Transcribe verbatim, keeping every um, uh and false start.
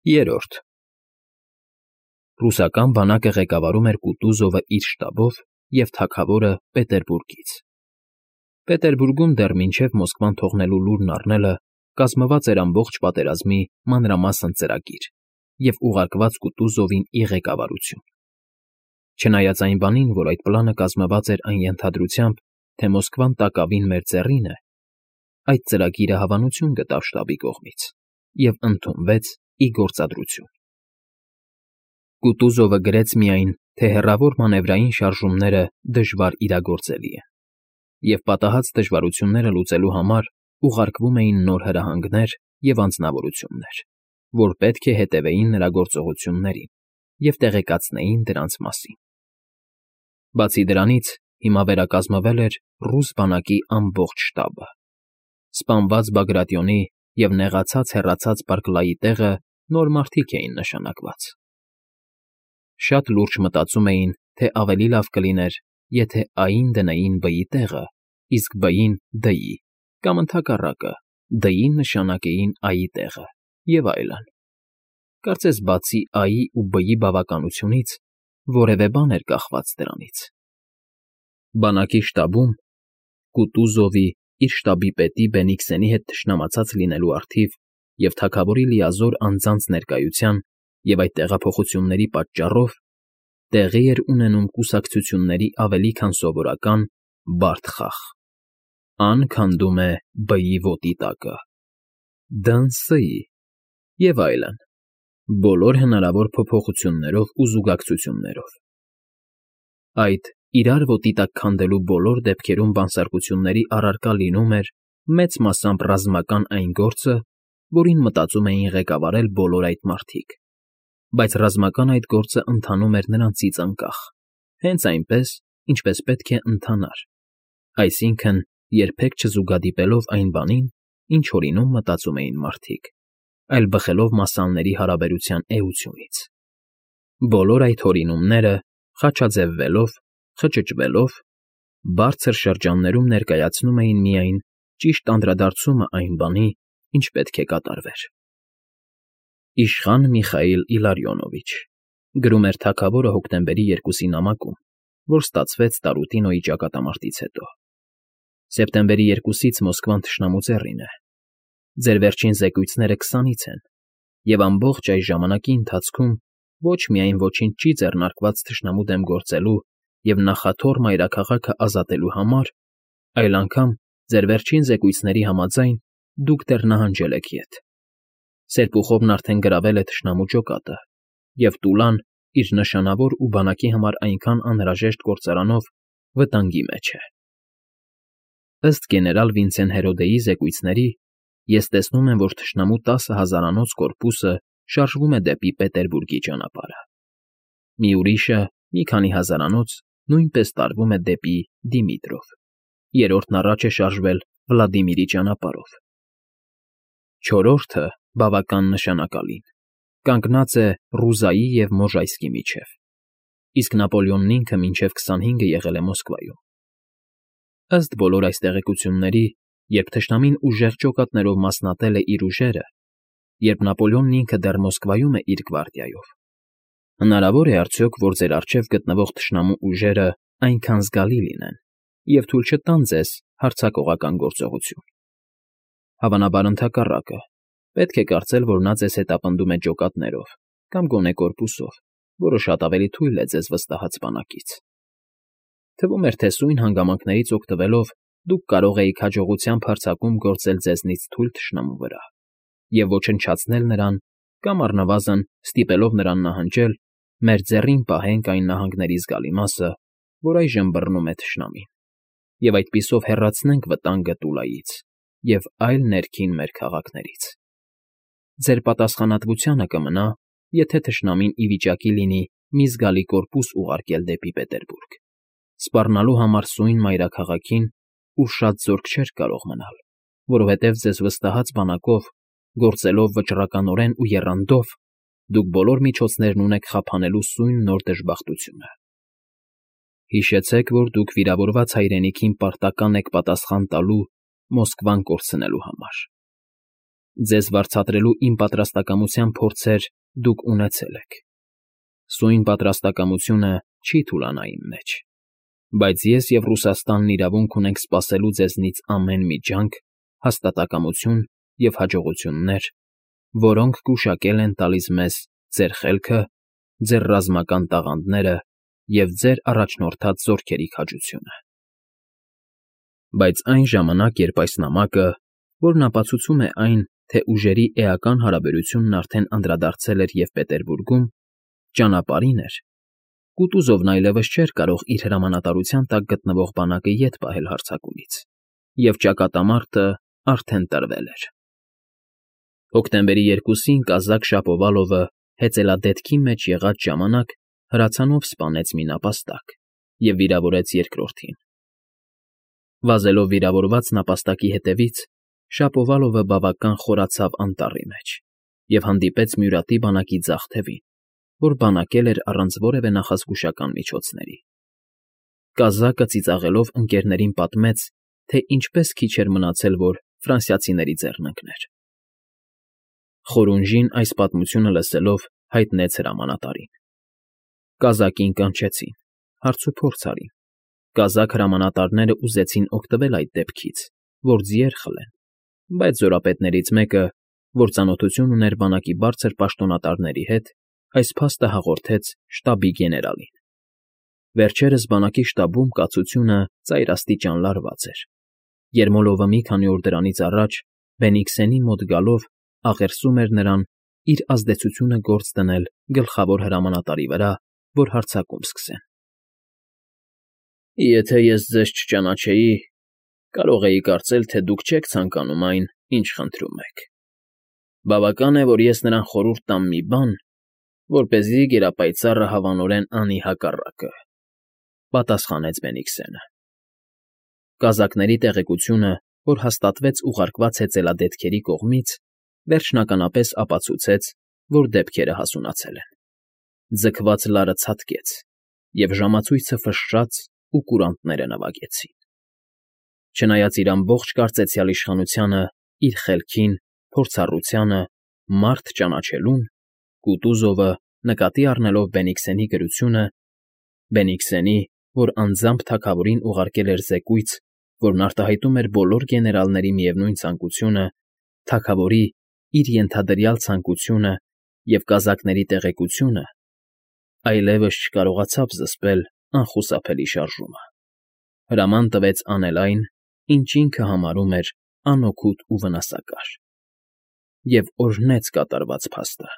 Երրորդ Ռուսական բանակը ղեկավարում էր Կուտուզովը իր շտաբով և թագավորը Պետերբուրգից։ Պետերբուրգում դեռ մինչև Մոսկվան թողնելու լուրն առնելը կազմված էր ամբողջ պատերազմի մանրամասն ծրագիր և ուղարկված Կուտուզովին ի ղեկավարություն։ Չնայած այն բանին, որ այդ պլանը կազմված էր այն ենթադրությամբ, թե Մոսկվան տակավին մեր ծեռին է, այդ ծրագիրը հավանություն գտավ շտաբի կողմից և ընդունվեց ի գործադրություն։ Կուտուզովը գրեց միայն, թե հեռավոր մանևրային շարժումները դժվար իրագործելի են, և պատահած դժվարությունները լուծելու համար ուղարկվում էին նոր հրահանգներ և անձնավորություններ, որ պետք է հետևեին նրա գործողություններին և տեղեկացնեին դրանց մասին։ Բացի դրանից, հիմա վերակազմվել էր ռուս բանակի ամբողջ շտաբը։ Սպանված Բագրատիոնի և նեղացած֊հեռացած Բարքլայի տեղը նոր մարդիկ էին նշանակված։ Շատ լուրջ մտածում էին, թե ավելի լավ կլիներ, եթե Ա֊ին դնեին Բ֊ի տեղը, իսկ Բ֊ին՝ Դ֊ի, կամ ընդհակառակը, Դ֊ին նշանակեին Ա֊ի տեղը, և այլն։ Կարծես բացի Ա֊ի ու Բ֊ի բավականությունից որևէ բան էր կախված դրանից։ Բանակի շտաբում Կուտուզովի՝ իր շտաբի պետի Բենիքսենի հետ թշնամացած լինելու առթիվ և թագավորի լիազոր անձանց ներկայության և այդ տեղափոխությունների պատճառով տեղի էր ունենում կուսակցությունների ավելի քան սովորական բարդ խաղ. Ա֊ն քանդում է Բ֊ի ոտի տակը, Դ֊ն՝ Ս֊ի, և այլն, բոլոր հնարավոր փոփոխություններով ու զուգակցություններով։ Այդ իրար ոտի տակ քանդելու բոլոր դեպքերում բանսարկությունների առարկա լինում էր մեծ մասամբ ռազմական այն գործը, որին մտածում էին ղեկավարել բոլոր այդ մարդիկ, բայց ռազմական այդ գործը ընթանում էր նրանցից անկախ, հենց այնպես, ինչպես պետք է ընթանար, այսինքն՝ երբեք չզուգադիպելով այն բանին, ինչ օրինում մտածում էին մարդիկ, այլ բխելով մասսաների հարաբերության էությունից։ Բոլոր այդ հորինումները, խաչաձևվելով, խճճվելով, բարձր շրջաններում ներկայացնում էին միայն ճիշտ անդրադարձումը այն բանի, ինչ պետք է կատարվեր։ Իշխան Միխայիլ Իլարիոնովիչ, գրում էր թագավորը հոկտեմբերի երկուսի նամակում, որ ստացվեց Տարուտինոյի ճակատամարտից հետո։ Սեպտեմբերի երկուսից Մոսկվան թշնամու ծեռին է։ Ձեր վերջին զեկույցները քսանից են, և ամբողջ այս ժամանակի ընթացքում ոչ միայն ոչինչ չի ձեռնարկված թշնամու դեմ գործելու և նախաթոռ մայրաքաղաքը ազատելու համար, այլ անգամ, ձեր վերջին զեկույցների համաձայն, դուք դեռ նահանջել եք ետ։ Սերպուխովն արդեն գրավել է թշնամու ջոկատը, և Տուլան իր նշանավոր ու բանակի համար այնքան անհրաժեշտ գործարանով վտանգի մեջ է։ Ըստ գեներալ Վինցեն Հերոդեի զեկույցների, ես տեսնում եմ, որ թշնամու տասը հազարանոց կորպուսը շարժվում է դեպի Պետերբուրգի ճանապարհը։ Մի ուրիշը՝ մի քանի հազարանոց, նույնպես տարվում է դեպի Դիմիտրով, երրորդն առաջ է շարժվել Վլադիմիրի ճանապարհով։ Չորրորդը՝ բավական նշանակալին, կանգնած է Ռուզայի և Մոժայսկի միջև, իսկ Նապոլեոնն ինքը մինչև քսանհինգը եղել է Մոսկվայում։ Ըստ բոլոր այս տեղեկությունների, երբ թշնամին ուժեղ ջոկատներով մասնատել է իր ուժերը, երբ Նապոլեոնն ինքը դեռ Մոսկվայում է իր գվարդիայով, հնարավո՞ր է արդյոք, որ ձեր առջև գտնվող թշնամու ուժերը այնքան զգալի լինեն և թույլ չտան ձեզ հարձակողական գործողություն։ Հավանաբար ընդհակառակը, պետք է կարծել, որ նա ձեզ հետապնդում է ջոկատներով կամ գոնե կորպուսով, որը շատ ավելի թույլ է ձեզ վստահած բանակից։ Թվում էր, թե սույն հանգամանքներից օգտվելով դուք կարող էիք հաջողությամբ հարձակում գործել ձեզնից թույլ թշնամու վրա և ոչնչացնել նրան կամ առնվազն ստիպելով նրան նահանջել, մեր ձեռին պահենք այն նահանգների զգալի մասը, որ այժմ բռնում է թշնամին, և այդպիսով հեռացնենք վտանգը Տուլայից և այլ ներքին մեր քաղաքներից։ Ձեր պատասխանատվությանը կմնա, եթե թշնամին ի վիճակի լինի մի զգալի կորպուս ուղարկել դեպի Պետերբուրգ, սպառնալու համար սույն մայրաքաղաքին, ուր շատ զորք չէր կարող մնալ, որովհետև ձեզ վստահած բանակով, գործելով վճռականորեն ու եռանդով, դուք բոլոր միջոցներն ունեք խափանելու սույն նոր դժբախտությունը։ Հիշեցեք, որ դուք վիրավորված հայրենիքին պարտական եք պատասխան տալու Մոսկվան կորցնելու համար։ Ձեզ վարձատրելու իմ պատրաստակամության փորձեր դուք ունեցել եք. սույն պատրաստակամությունը չի թուլանա իմ մեջ, բայց ես և Ռուսաստանն իրավունք ունենք սպասելու ձեզնից ամեն մի ջանք, հաստատակամություն և հաջողություններ, որոնք գուշակել են տալիս մեզ ձեր խելքը, ձեր ռազմական տաղանդները և ձեր առաջնորդած զորքերի քաջությունը։ Բայց այն ժամանակ, երբ այս նամակը, որն ապացուցում է այն, թե ուժերի էական հարաբերությունն արդեն անդրադարձել էր և Պետերբուրգում, ճանապարհին էր, Կուտուզովն այլևս չէր կարող իր հրամանատարության տակ գտնվող բանակը ետ պահել հարձակումից, և ճակատամարտը արդեն տրվել էր։ Հոկտեմբերի երկուսին կազակ Շապովալովը հեծելադեպքի մեջ եղած ժամանակ հրացանով սպանեց մի նապաստակ և վիրավորեց երկրորդին։ Վազելով վիրավորված նապաստակի հետևից, Շապովալովը բավական խորացավ անտառի մեջ և հանդիպեց Մյուրատի բանակի ձախ թևին, որ բանակել էր առանց որևէ նախազգուշական միջոցների։ Կազակը ծիծաղելով ընկերներին պատմեց, թե ինչպես քիչ էր մնացել, որ ֆրանսիացիների ձեռն ընկներ։ Խորունժին այս պատմությունը լսելով հայտնեց հրամանատարին։ Կազակին կանչեցին, հարցուփորձ արին։ Կազակ հրամանատարները ուզեցին օգտվել այդ դեպքից, որ ձիեր խլեն, բայց զորապետներից մեկը, որ ծանոթություն ուներ բանակի բարձր պաշտոնատարների հետ, այս փաստը հաղորդեց շտաբի գեներալին։ Վերջերս բանակի շտաբում կացությունը ծայրաստիճան լարված էր։ Երմոլովը մի քանի օր դրանից առաջ Բենիքսենի մոտ գալով աղերսում էր նրան իր ազդեցությունը գործ դնել գլխավոր հրամանատարի վրա, որ հարձակում սկսեն։ «Եթե ես ձեզ չճանաչեի, կարող էի կարծել, թե դուք չեք ցանկանում այն, ինչ խնդրում եք։ Բավական է, որ ես նրան խորհուրդ տամ մի բան, որպեսզի գերապայծառը հավանորեն անի հակառակը», պատասխանեց Բենիքսենը։ Կազակների տեղեկությունը, որ հաստատվեց ուղարկված հեծելադեպքերի կողմից, վերջնականապես ապացուցեց, որ դեպքերը հասունացել են։ Ձգված լարը ցատկեց, և ժամացույցը ֆշշաց ու կուրանտները նվագեցին։ Չնայած իր ամբողջ կարծեցյալ իշխանությանը, իր խելքին, փորձառությանը, մարդ ճանաչելուն, Կուտուզովը, նկատի առնելով Բենիքսենի գրությունը, Բենիքսենի, որ անձամբ թագավորին ուղարկել էր զեկույց, որն արտահայտում էր բոլոր գեներալների միևնույն ցանկությունը, թագավորի իր ենթադրյալ ցանկությունը և կազակների տեղեկությունը, այլևս չկարողացավ զսպել անխուսափելի շարժումը։ Հրաման տվեց անել այն, ինչ ինքը համարում էր անօգուտ ու վնասակար, և օրհնեց կատարված փաստը։